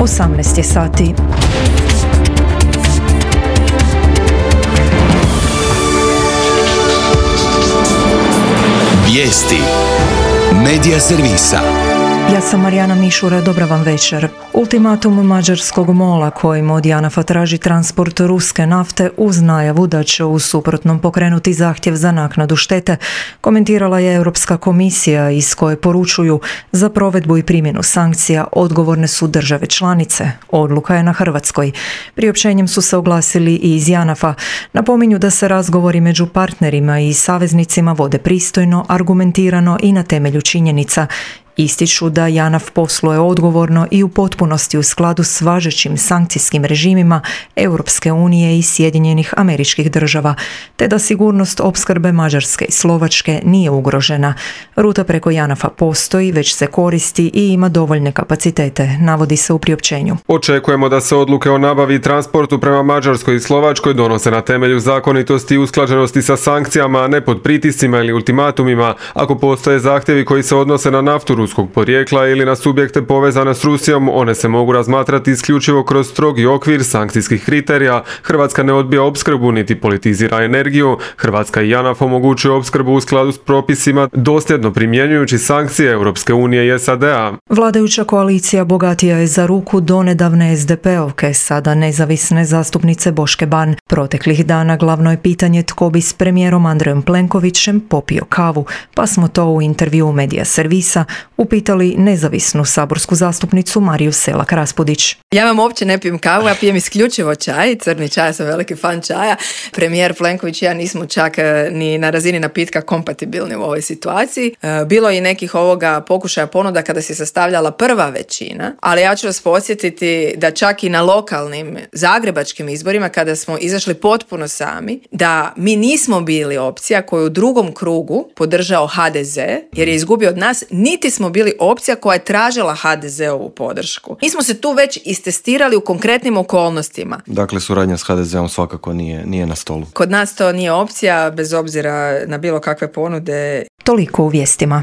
18 je sati. Vijesti Medija servisa. Ja sam Marijana Mišura, dobra vam večer. Ultimatum mađarskog MOL-a kojim od JANAF-a traži transport ruske nafte uz najavu da će u suprotnom pokrenuti zahtjev za naknadu štete, komentirala je Europska komisija iz koje poručuju za provedbu i primjenu sankcija odgovorne su države članice. Odluka je na Hrvatskoj. Priopćenjem su se oglasili i iz JANAF-a. Napominju da se razgovori među partnerima i saveznicima vode pristojno, argumentirano i na temelju činjenica. Ističu da JANAF posluje odgovorno i u potpunosti u skladu s važećim sankcijskim režimima Europske unije i Sjedinjenih Američkih Država, te da sigurnost opskrbe Mađarske i Slovačke nije ugrožena. Ruta preko JANAF-a postoji, već se koristi i ima dovoljne kapacitete, navodi se u priopćenju. Očekujemo da se odluke o nabavi i transportu prema Mađarskoj i Slovačkoj donose na temelju zakonitosti i usklađenosti sa sankcijama, a ne pod pritiscima ili ultimatumima, ako postoje zahtjevi koji se odnose na naftu ruskog porijekla ili na subjekte povezane s Rusijom, one se mogu razmatrati isključivo kroz strogi okvir sankcijskih kriterija. Hrvatska ne odbija opskrbu niti politizira energiju. Hrvatska i JANAF omogućuju opskrbu u skladu s propisima, dosljedno primjenjujući sankcije Europske unije i SAD-a. Vladajuća koalicija bogatija je za ruku donedavne SDP-ovke, sada nezavisne zastupnice Boške Ban. Proteklih dana glavno je pitanje tko bi s premijerom Andrejom Plenkovićem popio kavu, pa smo to u intervjuu Medija servisa upitali nezavisnu saborsku zastupnicu Mariju Selak Raspudić. Ja vam uopće ne pijem kavu, ja pijem isključivo čaj, crni čaj, sam veliki fan čaja. Premijer Plenković i ja nismo čak ni na razini napitka kompatibilni u ovoj situaciji. Bilo je i nekih ovoga pokušaja ponuda kada se sastavljala prva većina, ali ja ću vas podsjetiti da čak i na lokalnim zagrebačkim izborima kada smo izašli potpuno sami, da mi nismo bili opcija koju u drugom krugu podržao HDZ jer je izgubio od nas, niti smo bili opcija koja je tražila HDZ-ovu podršku. Mi smo se tu već istestirali u konkretnim okolnostima. Dakle, suradnja s HDZ-om svakako nije na stolu. Kod nas to nije opcija, bez obzira na bilo kakve ponude. Toliko u vijestima.